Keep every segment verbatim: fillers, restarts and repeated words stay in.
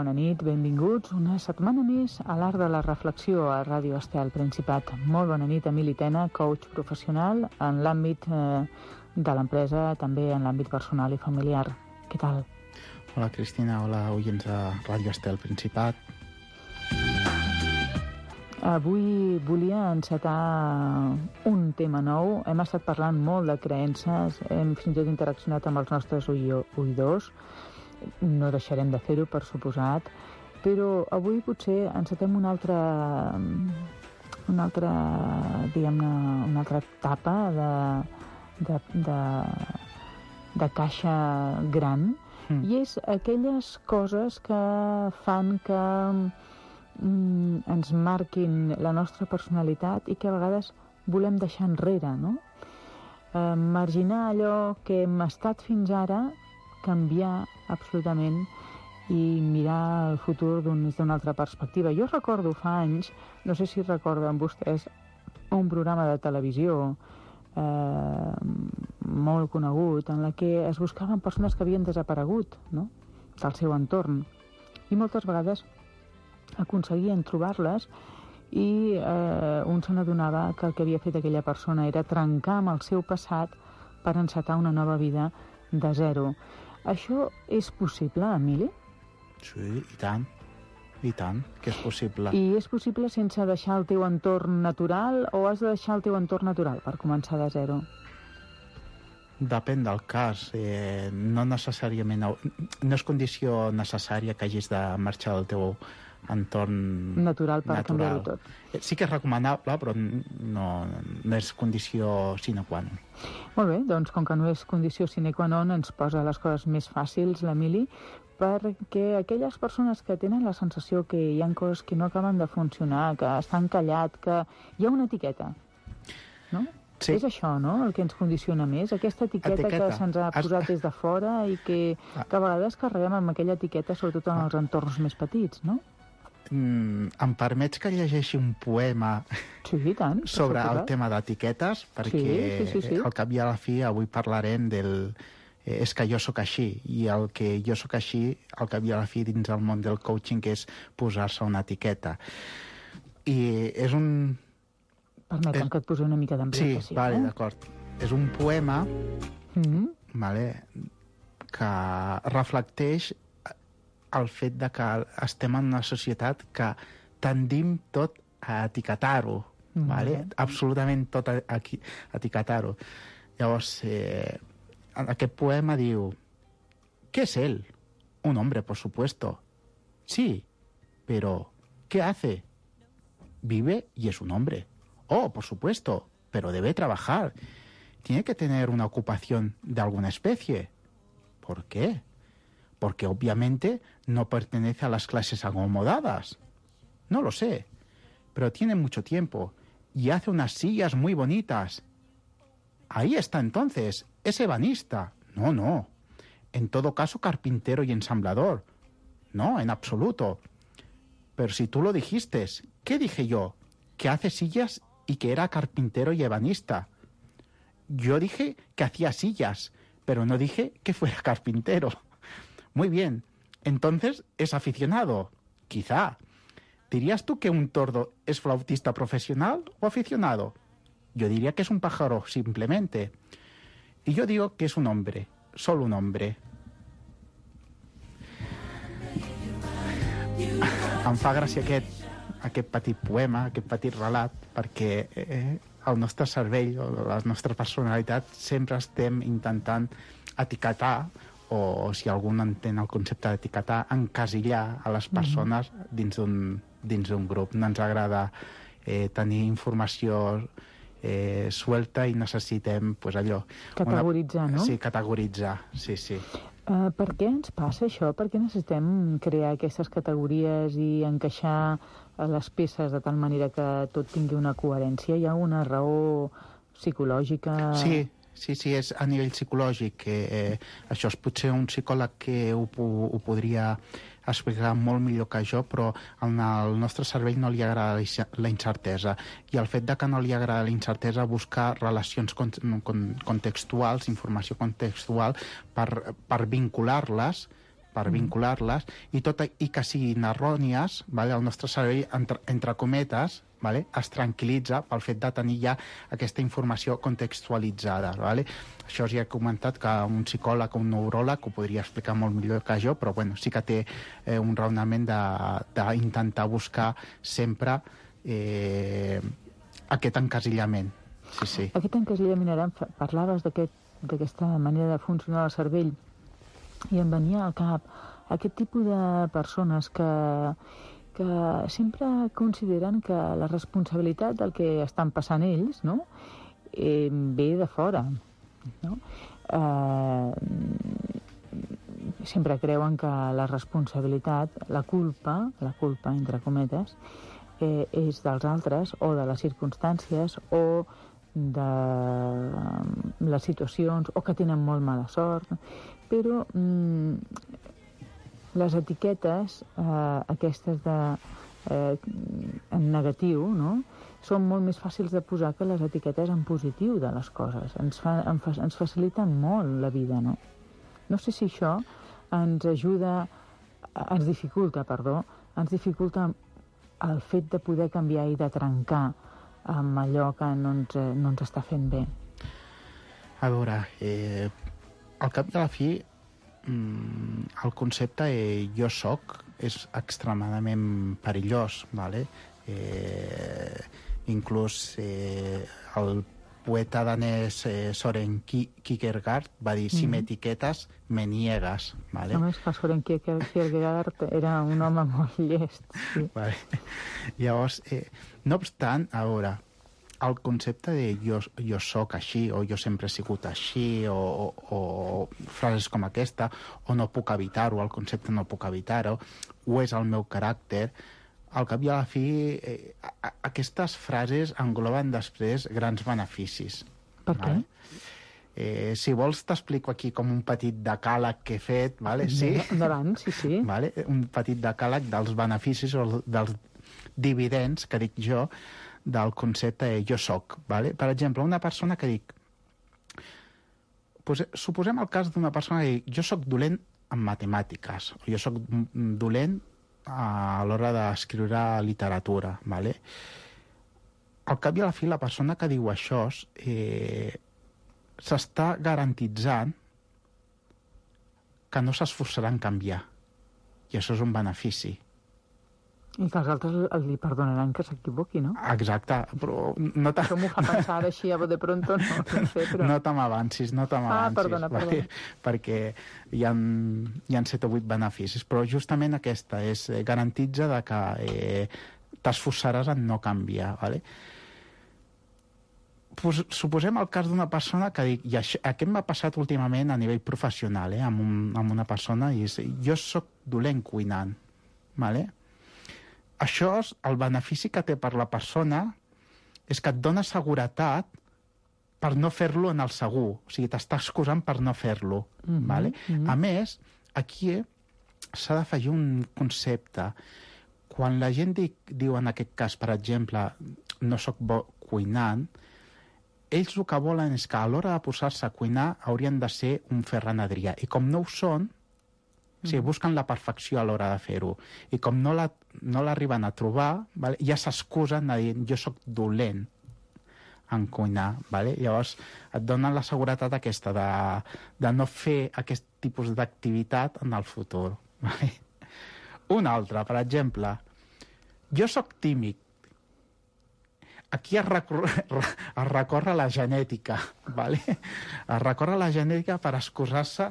bona nit, benvinguts una setmana més a l'Art de la Reflexió a Ràdio Estel Principat. Molt bona nit, Emili Tena, coach professional en l'àmbit eh, de l'empresa, també en l'àmbit personal i familiar. Què tal? Hola, Cristina, hola, oients de Ràdio Estel Principat. Avui volia encetar un tema nou. Hem estat parlant molt de creences, hem fins i tot interaccionat amb els nostres oïdors. No deixarem de fer-ho, per suposat, però avui potser encetem una altra, una altra, diguem-ne, una altra etapa de, de, de, de caixa gran, mm. i és aquelles coses que fan que mm, ens marquin la nostra personalitat i que a vegades volem deixar enrere, no? Eh, marginar allò que hem estat fins ara, canviar absolutament i mirar el futur des d'una altra perspectiva. Jo recordo fa anys, no sé si recorden vostès, un programa de televisió eh, molt conegut en la que es buscaven persones que havien desaparegut, no?, del seu entorn. I moltes vegades aconseguien trobar-les i eh, un se n'adonava que el que havia fet aquella persona era trencar amb el seu passat per encetar una nova vida de zero. Això és possible, Emili? Sí, i tant, i tant, que és possible. I és possible sense deixar el teu entorn natural o has de deixar el teu entorn natural per començar de zero? Depèn del cas. Eh, no necessàriament... No és condició necessària que hagis de marxar del teu entorn natural per natural. Canviar-ho tot. Sí que és recomanable, però no, no és condició sine qua non. Molt bé, doncs com que no és condició sine qua non, ens posa les coses més fàcils, l'Emili, perquè aquelles persones que tenen la sensació que hi ha coses que no acaben de funcionar, que estan callat, que hi ha una etiqueta, no? Sí. És això, no?, el que ens condiciona més, aquesta etiqueta, etiqueta. que se'ns ha posat des de fora i que, que a vegades carreguem amb aquella etiqueta, sobretot en els entorns més petits, no? Mm, em permets que llegeixi un poema sí, tant, sobre el tema d'etiquetes, perquè sí, sí, sí, sí. al cap i a la fi avui parlarem del eh, és que jo sóc així, i el que jo sóc així al cap i a la fi dins el món del coaching és posar-se una etiqueta. I és un... Permetem és... que et posi una mica d'ambientació. Sí, vale, eh? D'acord. És un poema mm-hmm. vale, que reflecteix el fet de que estem en una societat que tendim tot a etiquetar-ho, mm-hmm. vale? Absolutament tot a, a, a etiquetar-ho. Llavors, eh, aquest poema diu: ¿qué es él? Un hombre, por supuesto. Sí, pero ¿qué hace? Vive y es un hombre. Oh, por supuesto, pero debe trabajar. Tiene que tener una ocupación de alguna especie. ¿Por qué? Porque obviamente no pertenece a las clases acomodadas. No lo sé, pero tiene mucho tiempo y hace unas sillas muy bonitas. Ahí está entonces, es ebanista. No, no. En todo caso, carpintero y ensamblador. No, en absoluto. Pero si tú lo dijiste, ¿qué dije yo? Que hace sillas y que era carpintero y ebanista. Yo dije que hacía sillas, pero no dije que fuera carpintero. Muy bien, entonces es aficionado. Quizá. ¿Dirías tú que un tordo es flautista profesional o aficionado? Yo diría que es un pájaro, simplemente. Y yo digo que es un hombre, solo un hombre. Em fa gràcia aquest, aquest petit poema, aquest petit relat, perquè eh, el nostre cervell o la nostra personalitat sempre estem intentant etiquetar, o si algú no entén el concepte d'etiquetar, encasillar a les persones mm-hmm. dins d'un dins d'un grup. No ens agrada eh, tenir informació eh, suelta i necessitem, pues, allò... Categoritzar, una... no? Sí, categoritzar, sí, sí. Uh, per què ens passa això? Per què necessitem crear aquestes categories i encaixar les peces de tal manera que tot tingui una coherència? Hi ha una raó psicològica... Sí, sí, sí, és a nivell psicològic. Eh, això és potser un psicòleg que ho, ho podria explicar molt millor que jo, però en el nostre cervell no li agrada la incertesa. I el fet de que no li agrada la incertesa, buscar relacions con, con, contextuals, informació contextual, per, per vincular-les per vincular-les, i, tot, i que siguin errònies, vale? El nostre cervell, entre, entre cometes, vale? Es tranquil·litza pel fet de tenir ja aquesta informació contextualitzada. Vale? Això ja he comentat que un psicòleg o un neuròleg ho podria explicar molt millor que jo, però bueno, sí que té eh, un raonament d'intentar buscar sempre eh, aquest encasillament. Sí, sí. Aquest encasillament, ara parlaves d'aquesta manera de funcionar el cervell, i em venia al cap aquest tipus de persones que que sempre consideren que la responsabilitat del que estan passant ells, no? eh, ve de fora. No? Eh, sempre creuen que la responsabilitat, la culpa, la culpa, entre cometes, eh, és dels altres o de les circumstàncies o de les situacions o que tenen molt mala sort, però mm, les etiquetes, eh, aquestes de, eh, en negatiu, no? Són molt més fàcils de posar que les etiquetes en positiu de les coses. Ens, fa, ens faciliten molt la vida, no? No sé si això ens ajuda, ens dificulta, perdó, ens dificulta el fet de poder canviar i de trencar amb allò que no ens, no ens està fent bé. A veure, eh, al cap de la fi, el concepte eh, jo soc és extremadament perillós, vale? eh, inclús eh, el poeta danès eh, Søren Kierkegaard va dir, si m'etiquetes, me niegues. Vale? Només que Søren Kierkegaard era un home molt llest. Sí. Vale. Llavors, eh, no obstant, a veure, el concepte de jo, jo soc així, o jo sempre he sigut així, o, o, o frases com aquesta, o no puc evitar-ho, el concepte no puc evitar-ho, o és el meu caràcter, al cap i a la fi, eh, a, aquestes frases engloben després grans beneficis. Per què? Vale? Eh, si vols t'explico aquí com un petit decàleg que he fet, vale? Sí? Endavant, sí, sí. Vale? Un petit decàleg dels beneficis o dels dividends, que dic jo, del concepte de jo soc. Vale? Per exemple, una persona que dic... Pues, suposem el cas d'una persona que dic jo soc dolent en matemàtiques, o jo soc dolent a l'hora d'escriure literatura. Vale? Al cap i a la fi, la persona que diu això eh, s'està garantitzant que no s'esforçarà en canviar. I això és un benefici. I que els altres li perdonaran que s'equivoqui, no? Exacte, però no t'ha... Això m'ho fa pensar ara així, a de pronto, no, no sé, però... No te m'avancis, no te m'avancis. Ah, perdona, perdona. Perquè, perquè hi ha, hi ha set o vuit beneficis, però justament aquesta és eh, garantitza de que eh, t'esforçaràs en no canviar, ¿vale? Pues, suposem el cas d'una persona que dic, i això, aquest m'ha passat últimament a nivell professional, eh, amb, un, amb una persona, i és, jo sóc dolent cuinant, ¿vale? Això, el benefici que té per la persona és que et dona seguretat per no fer-lo en el segur. O sigui, t'està excusant per no fer-lo. Mm-hmm, vale? Mm-hmm. A més, aquí s'ha d'afegir un concepte. Quan la gent dic, diu, en aquest cas, per exemple, no sóc bo cuinant, ells el que volen és que a l'hora de posar-se a cuinar haurien de ser un Ferran Adrià. I com no ho són, o sigui, busquen la perfecció a l'hora de fer-ho. I com no la, no l'arriben a trobar, vale, ja s'excusen de dir jo sóc dolent en cuinar. Vale? Llavors et donen la seguretat aquesta de, de no fer aquest tipus d'activitat en el futur. Vale? Un altre, per exemple, jo sóc tímid. Aquí es recorre, es recorre a la genètica. Vale? Es recorre a la genètica per excusar-se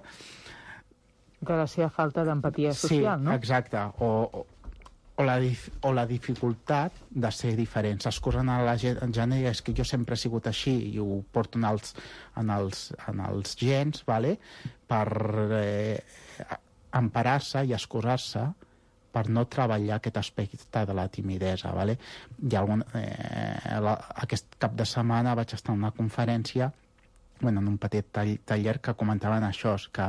de la seva falta d'empatia social, sí, no? Sí, exacte. O, o, o, la, o la dificultat de ser diferent. S'excusen a la genètica, és que jo sempre he sigut així i ho porto en els, en els, en els gens, vale? Per eh, emparar-se i excusar-se per no treballar aquest aspecte de la timidesa. Vale? Hi ha algun, eh, la, aquest cap de setmana vaig estar en una conferència, bueno, en un petit taller que comentaven això, que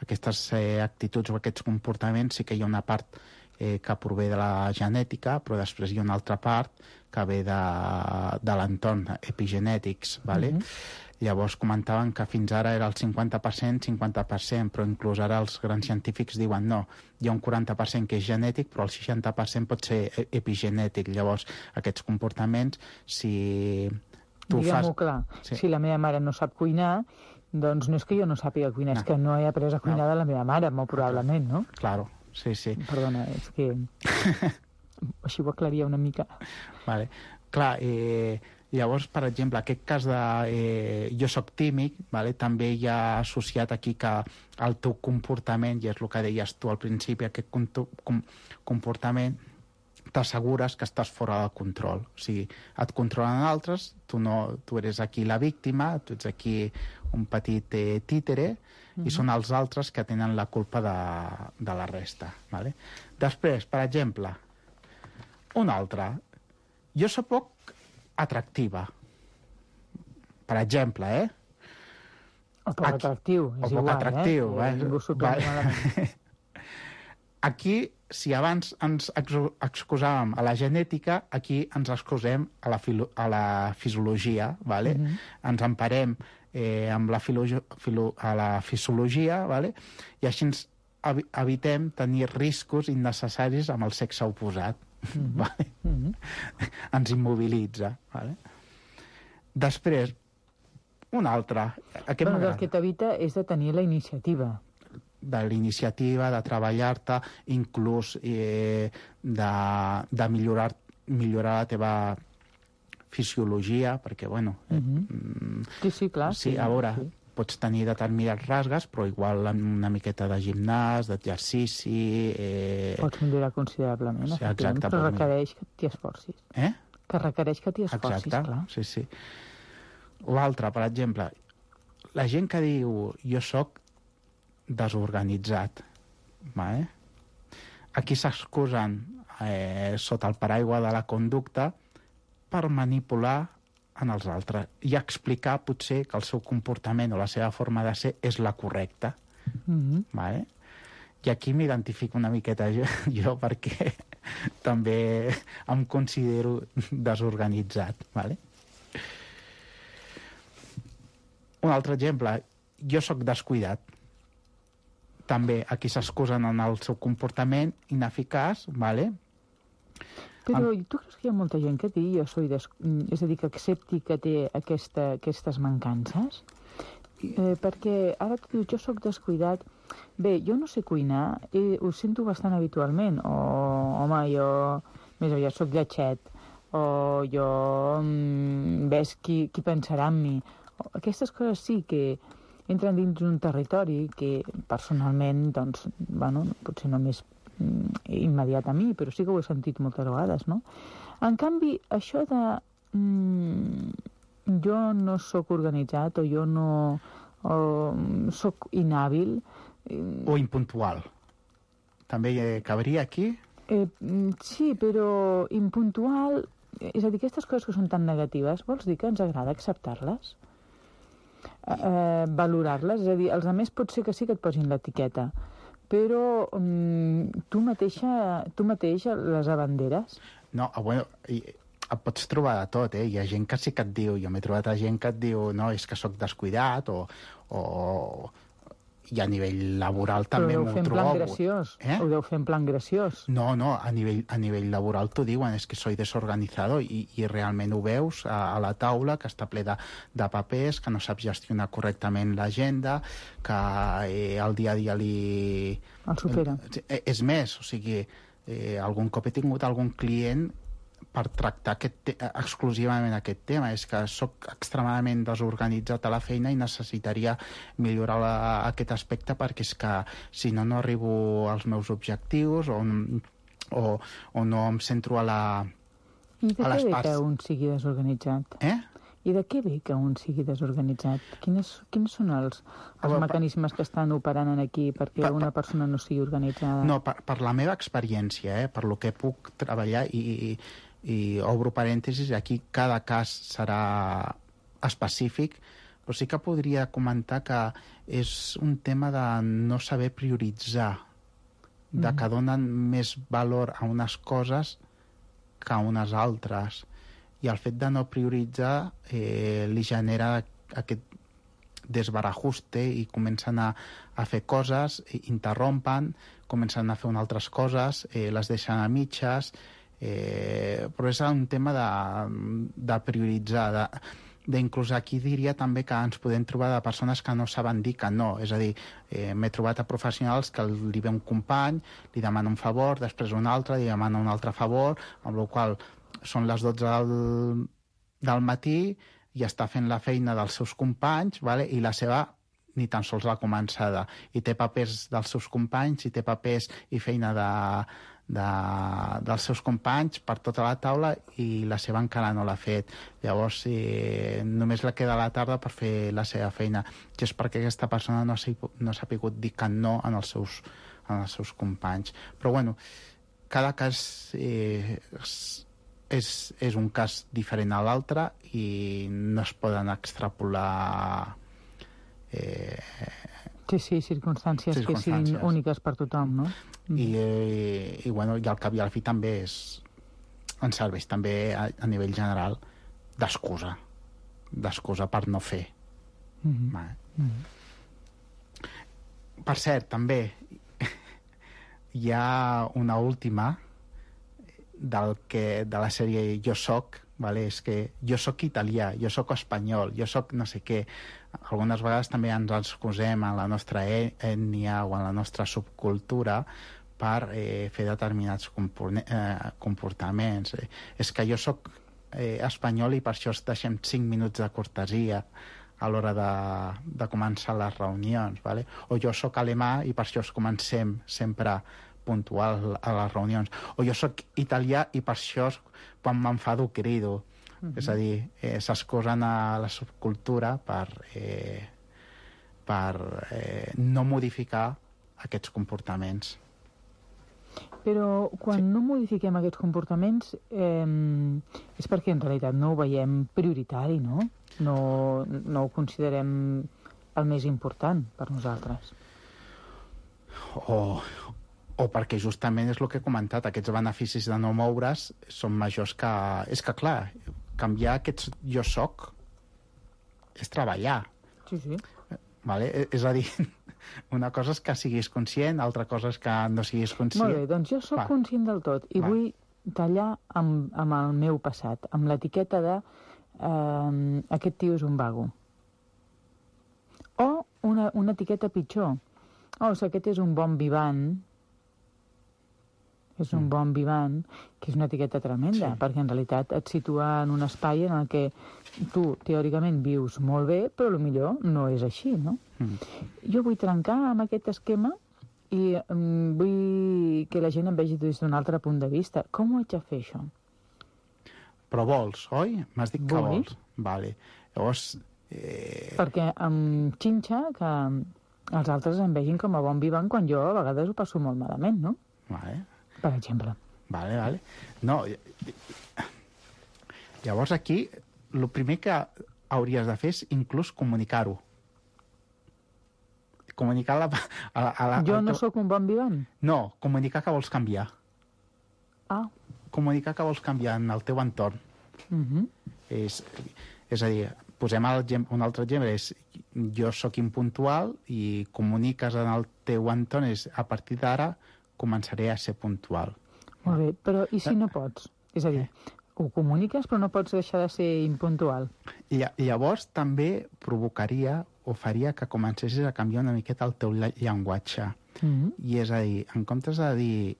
aquestes eh, actituds o aquests comportaments sí que hi ha una part eh, que prové de la genètica, però després hi ha una altra part que ve de, de l'entorn, epigenètics, ¿vale? Mm-hmm. Llavors comentaven que fins ara era el cinquanta per cent, cinquanta per cent, però inclús ara els grans científics diuen no, hi ha un quaranta per cent que és genètic, però el seixanta per cent pot ser epigenètic. Llavors, aquests comportaments, si tu Diguem-ho fas... clar, sí. Si la meva mare no sap cuinar, doncs no és que jo no sàpiga cuinar, no. És que no he après a cuinar no. de la meva mare, molt probablement, no? Claro, sí, sí. Perdona, és que... Així ho aclaria una mica. Vale. Clar, eh, llavors, per exemple, aquest cas de eh, jo soc tímid, vale? També hi ha associat aquí que el teu comportament, i és el que deies tu al principi, aquest com comportament t'assegures que estàs fora de control. O sigui, et controlen altres, tu, no, tu eres aquí la víctima, tu ets aquí un petit eh, títere, mm-hmm. i són els altres que tenen la culpa de, de la resta. Vale? Després, per exemple, un altre. Jo soc poc atractiva. Per exemple, eh? O poc aquí, atractiu, és o poc igual, atractiu, eh? eh? Aquí, si abans ens excusàvem a la genètica, aquí ens excusem a la, filo a la fisiologia, ¿vale? Mm-hmm. Ens emparem eh, amb la, filo filo a la fisiologia, ¿vale? I així ens ev evitem tenir riscos innecessaris amb el sexe oposat. Mm-hmm. Vale? Mm-hmm. Ens immobilitza. Vale? Després, un altre. Aquest bueno, el que t'evita és de tenir la iniciativa. De l'iniciativa, de treballar-te, inclús eh, de, de millorar, millorar la teva fisiologia, perquè, bueno... Mm-hmm. Sí, sí, clar. Sí, sí, a veure, sí. Pots tenir determinats rasgues, però igual una miqueta de gimnàs, d'exercici... Eh... Pots millorar considerablement, sí, exacte, però requereix que t'hi esforcis. Eh? Que requereix que t'hi esforcis, exacte, clar. Sí, sí. L'altre, per exemple, la gent que diu jo sóc desorganitzat, vale? Aquí s'excusen eh, sota el paraigua de la conducta per manipular en els altres i explicar potser que el seu comportament o la seva forma de ser és la correcta. Mm-hmm. Vale? I aquí m'identifico una miqueta jo, jo perquè també em considero desorganitzat. Vale? Un altre exemple, jo sóc descuidat. També aquí s'excusen en el seu comportament ineficaç, ¿vale? Però tu creus que hi ha molta gent que digui jo soy des... és a dir, que accepti que té aquesta, aquestes mancances? Eh, perquè ara tu dius, jo sóc descuidat. Bé, jo no sé cuinar, eh, ho sento bastant habitualment. O, home, jo més aviat sóc lletxet. O jo... Mm, ves qui, qui pensarà en mi. O, aquestes coses sí que entren dins d'un territori que personalment, doncs, bueno, potser només immediat a mi, però sí que ho he sentit moltes vegades, no? En canvi, això de mm, jo no sóc organitzat o jo no o, sóc inhàbil... O impuntual. També eh, cabria aquí? Eh, sí, però impuntual... És a dir, aquestes coses que són tan negatives, vols dir que ens agrada acceptar-les? Eh, valorar-les? És a dir, els altres pot ser que sí que et posin l'etiqueta, però um, tu mateixa, tu mateix les abanderes? No, bueno, et pots trobar de tot, eh? Hi ha gent que sí que et diu, jo m'he trobat a gent que et diu, no, és que sóc descuidat, o, o i a nivell laboral també m'ho trobo. Però ho deu fer en plan graciós. Eh? Ho deu fer en plan graciós. No, no, a nivell, a nivell laboral t'ho diuen, és que soy desorganizado, i, i realment ho veus a, a la taula, que està ple de, de papers, que no saps gestionar correctament l'agenda, que eh, el dia a dia li... El supera. Eh, és més, o sigui, eh, algun cop he tingut algun client per tractar aquest exclusivament aquest tema. És que sóc extremadament desorganitzat a la feina i necessitaria millorar la, aquest aspecte, perquè és que si no, no arribo als meus objectius o, o, o no em centro a la... I de què ve parts... que un sigui desorganitzat? Eh? I de què ve que un sigui desorganitzat? Quines, quins són els, els oh, mecanismes que estan operant aquí perquè per, una persona no sigui organitzada? No, per, per la meva experiència, eh, per lo que puc treballar, i, i, i obro parèntesis, aquí cada cas serà específic, però sí que podria comentar que és un tema de no saber prioritzar de que donen més valor a unes coses que a unes altres. I el fet de no prioritzar eh, li genera aquest desbarajuste i comencen a, a fer coses, interrompen, comencen a fer unes altres coses, eh, les deixen a mitges, eh, però és un tema de, de prioritzar, de, d'inclús aquí diria també que ens podem trobar de persones que no saben dir que no, és a dir, eh, m'he trobat a professionals que li ve un company, li demana un favor, després un altre, li demana un altre favor, amb la qual són les dotze del, del matí i està fent la feina dels seus companys, vale? I la seva ni tan sols l'ha començada. I té papers dels seus companys, i té papers i feina de, de, dels seus companys per tota la taula i la seva encara no l'ha fet. Llavors, eh, només la queda a la tarda per fer la seva feina. I és perquè aquesta persona no s'ha no s'ha pogut dir que no en els seus, en els seus companys. Però, bueno, cada cas eh, és, és un cas diferent a l'altre i no es poden extrapolar eh, sí, sí, circumstàncies, circumstàncies que siguin úniques per tothom, no? I, eh, i, bueno, i al cap i al fi també és, ens serveix també a, a nivell general d'excusa d'excusa per no fer. Mm-hmm. Vale. Mm-hmm. Per cert, també hi ha una última del que, de la sèrie Jo soc, vale? És que jo soc italià, jo soc espanyol, jo soc no sé què. Algunes vegades també ens excusem en la nostra ètnia o en la nostra subcultura per eh, fer determinats eh, comportaments. Eh, és que jo soc eh, espanyol i per això es deixem cinc minuts de cortesia a l'hora de, de començar les reunions, vale? O jo soc alemà i per això es comencem sempre puntual a les reunions. O jo sóc italià i per això quan m'enfado crido. Mm-hmm. És a dir, eh, s'excusen a la subcultura per, eh, per eh, no modificar aquests comportaments. Però quan sí. no modifiquem aquests comportaments eh, és perquè en realitat no ho veiem prioritari, no? No, no ho considerem el més important per nosaltres. O... o perquè justament és el que he comentat, aquests beneficis de no moure's són majors que... És que, clar, canviar aquests jo soc és treballar. Sí, sí. Vale? És a dir, una cosa és que siguis conscient, altra cosa és que no siguis conscient. Molt bé, doncs jo sóc Va. conscient del tot i Va. vull tallar amb, amb el meu passat, amb l'etiqueta de eh, aquest tio és un vago. O una, una etiqueta pitjor. O sigui, aquest és un bon vivant, és un bon vivant, que és una etiqueta tremenda, sí. perquè en realitat et situa en un espai en el que tu, teòricament, vius molt bé, però potser no és així, no? Mm. Jo vull trencar amb aquest esquema i um, vull que la gent em vegi des d'un altre punt de vista. Com ho haig de fer, això? Però vols, oi? M'has dit que Vull. vols. Vale. Llavors... Eh... Perquè em xinxa que els altres em vegin com a bon vivant quan jo a vegades ho passo molt malament, no? Vale. Per exemple. Vale, vale. No, llavors aquí el primer que hauries de fer és inclús comunicar-ho. Comunicar la... A la, a la jo no teu... sóc un bon vivant? No, comunicar que vols canviar. Ah. Comunicar que vols canviar en el teu entorn. Uh-huh. És, és a dir, posem el, un altre exemple, és jo sóc impuntual i comuniques en el teu entorn, és a partir d'ara començaré a ser puntual. Molt bé, però i si no pots? És a dir, ho comuniques però no pots deixar de ser impuntual. I llavors també provocaria o faria que comencessis a canviar una miqueta el teu llenguatge. Mm-hmm. I és a dir, en comptes de dir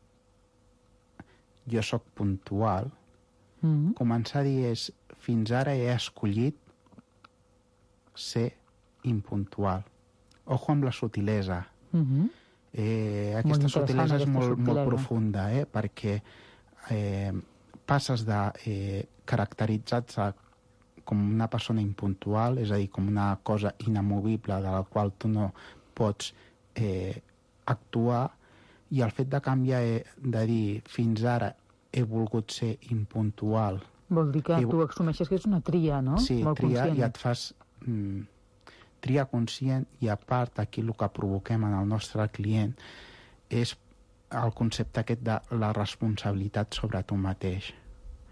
jo sóc puntual, mm-hmm. començar a dir és fins ara he escollit ser impuntual. Ojo amb la sutilesa. Mm-hmm. Eh, aquesta sutilesa és molt, molt profunda, eh? Perquè eh, passes de eh, caracteritzar-te com una persona impuntual, és a dir, com una cosa inamovible de la qual tu no pots eh, actuar, i el fet de canviar, eh, de dir fins ara he volgut ser impuntual... Vol dir que he... tu assumeixes que és una tria, no? Sí, molt tria, conscient. I et fas... Mm, tria conscient, i a part aquí el que provoquem en el nostre client és el concepte aquest de la responsabilitat sobre tu mateix.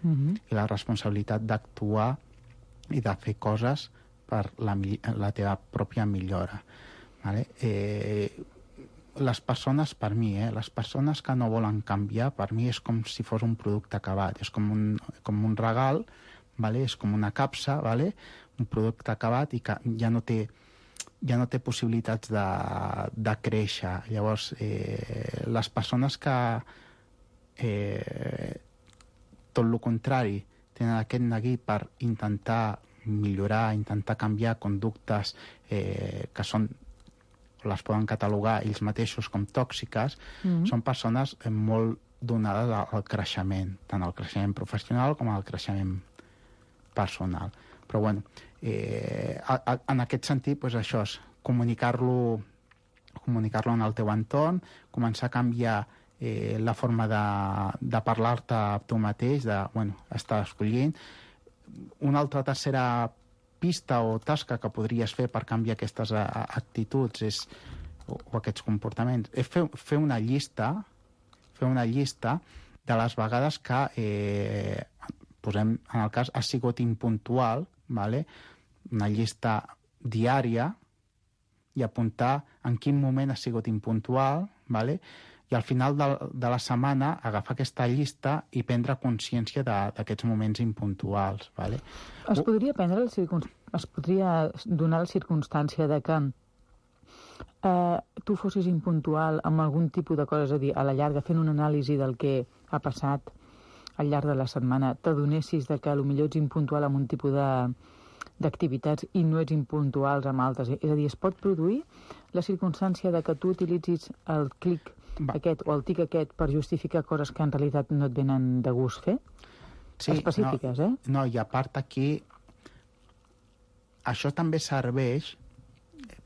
Mm-hmm. I la responsabilitat d'actuar i de fer coses per la, la teva pròpia millora. Vale? Eh, les persones, per mi, eh, les persones que no volen canviar, per mi és com si fos un producte acabat, és com un, com un regal, vale? És com una capsa, vale? Un producte acabat i que ja no té, ja no té possibilitats de, de créixer. Llavors, eh, les persones que eh, tot el contrari, tenen aquest neguit per intentar millorar, intentar canviar conductes eh, que són, les poden catalogar ells mateixos com tòxiques, mm-hmm. són persones molt donades al creixement, tant al creixement professional com al creixement personal. Però, bueno, eh, a, a, en aquest sentit, pues, això és comunicar-lo comunicar-lo en el teu entorn, començar a canviar eh, la forma de, de parlar-te a tu mateix, de, bueno, estar escollint. Una altra tercera pista o tasca que podries fer per canviar aquestes a, a, actituds és, o, o aquests comportaments és fer, fer una llista fer una llista de les vegades que eh, posem, en el cas, has sigut impuntual, vale? Una llista diària i apuntar en quin moment has sigut impuntual, vale? I al final de, de la setmana agafar aquesta llista i prendre consciència d'aquests moments impuntuals. Vale? Es podria prendre el circun... es podria donar la circumstància de que eh, tu fossis impuntual amb algun tipus de cosa, és a dir, a la llarga, fent una anàlisi del que ha passat al llarg de la setmana, t'adonessis de que potser ets impuntual amb un tipus de d'activitats i no ets impuntuals amb altres. És a dir, es pot produir la circumstància de que tu utilitzis el clic Va. aquest o el tic aquest per justificar coses que en realitat no et venen de gust fer? Sí, específiques, no, eh? No, i a part aquí això també serveix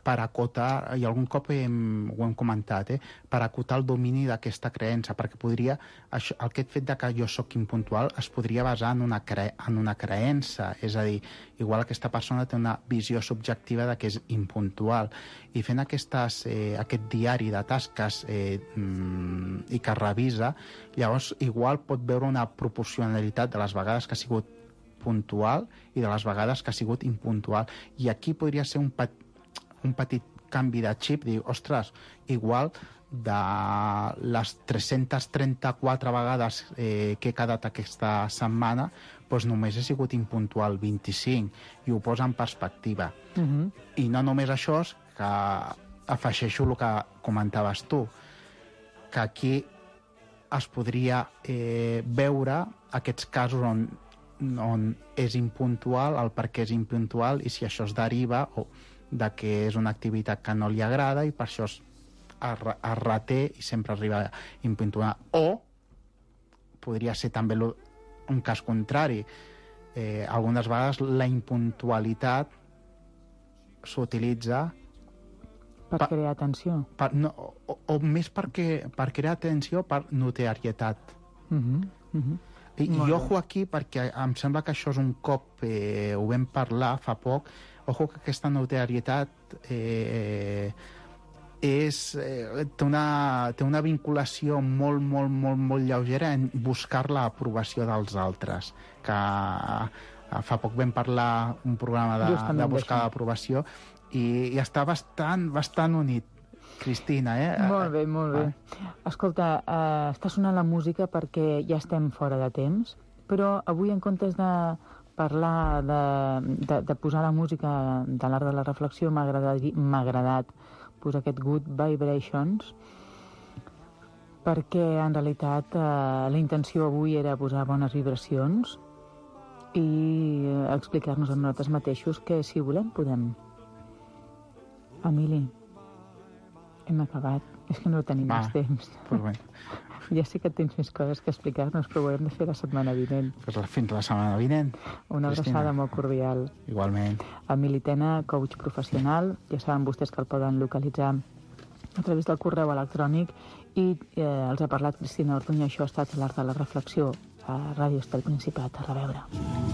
per acotar, i algun cop hem, ho hem comentat, eh, per acotar el domini d'aquesta creença, perquè podria, això, aquest fet de que jo sóc impuntual es podria basar en una, cre, en una creença, és a dir, igual aquesta persona té una visió subjectiva de que és impuntual, i fent aquestes, eh, aquest diari de tasques eh, mm, i que revisa, llavors igual pot veure una proporcionalitat de les vegades que ha sigut puntual i de les vegades que ha sigut impuntual, i aquí podria ser un petit un petit canvi de xip, dir, ostres, igual de les tres-centes trenta-quatre vegades eh, que he quedat aquesta setmana, doncs només he sigut impuntual vint-i-cinc, i ho posa en perspectiva. Uh-huh. I no només això, que afegeixo el que comentaves tu, que aquí es podria eh, veure aquests casos on, on és impuntual, el per què és impuntual, i si això es deriva o de que és una activitat que no li agrada i per això es, es, es reté i sempre arriba impuntual. O podria ser també lo, un cas contrari. Eh, algunes vegades la impuntualitat s'utilitza per, per crear atenció. Per, no, o, o més perquè, per crear atenció, per notorietat. Uh-huh, uh-huh. I, i ojo aquí, perquè em sembla que això és un cop, eh, ho vam parlar fa poc, ojo que aquesta notorietat eh, és, eh, té, una, té una vinculació molt, molt, molt, molt lleugera en buscar l'aprovació dels altres, que eh, fa poc vam parlar un programa de, de buscar l'aprovació i, i està bastant, bastant unit. Cristina, eh? Molt bé, molt bé. Ah. Escolta, eh, està sonant la música perquè ja estem fora de temps, però avui en comptes de parlar de, de, de posar la música de l'art de la reflexió, m'ha agradat, m'ha agradat posar aquest Good Vibrations, perquè en realitat eh, la intenció avui era posar bones vibracions i explicar-nos a nosaltres mateixos que si volem podem. Emili, hem acabat. És que no tenim Va, més temps. Pues bé. Ja sé que tens més coses que explicar-nos, però ho hem de fer la setmana vinent. Pues fins la setmana vinent. Una Cristina. abraçada molt cordial. Igualment. Emili Tena, coach professional. Ja saben vostès que el poden localitzar a través del correu electrònic i eh, els ha parlat Cristina Ortuño. Això ha estat l'art de la reflexió a Ràdio Estel Principat. A reveure.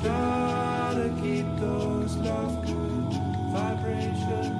Gotta keep those love good vibrations.